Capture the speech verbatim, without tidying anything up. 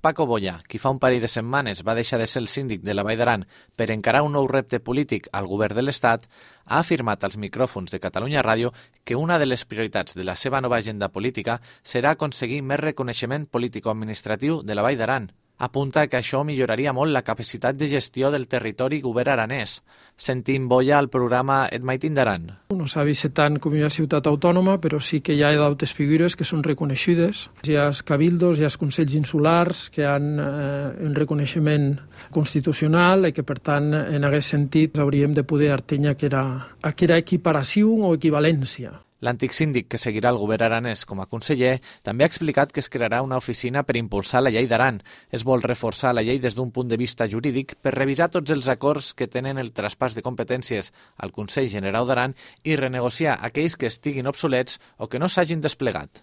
Paco Boya, qui fa un parell de setmanes va deixar de ser el síndic de la Vall d'Aran per encarar un nou repte polític al govern de l'Estat, ha afirmat als micròfons de Catalunya Ràdio que una de les prioritats de la seva nova agenda política serà aconseguir més reconeixement político-administratiu de la Vall d'Aran. Apunta que això milloraria molt la capacitat de gestió del territori i govern aranès. Sentim Boya al programa Et Maitin d'Aran. No s'ha vist tant com una ciutat autònoma, però sí que hi ha d'altres figures que són reconeixides. Hi ha els cabildos, hi ha els consells insulars que han eh, un reconeixement constitucional i que, per tant, en aquest sentit hauríem de poder artenya que era, que era equiparació o equivalència. L'antic síndic, que seguirà el govern aranès com a conseller, també ha explicat que es crearà una oficina per impulsar la llei d'Aran. Es vol reforçar la llei des d'un punt de vista jurídic per revisar tots els acords que tenen el traspàs de competències al Consell Generau d'Aran i renegociar aquells que estiguin obsolets o que no s'hagin desplegat.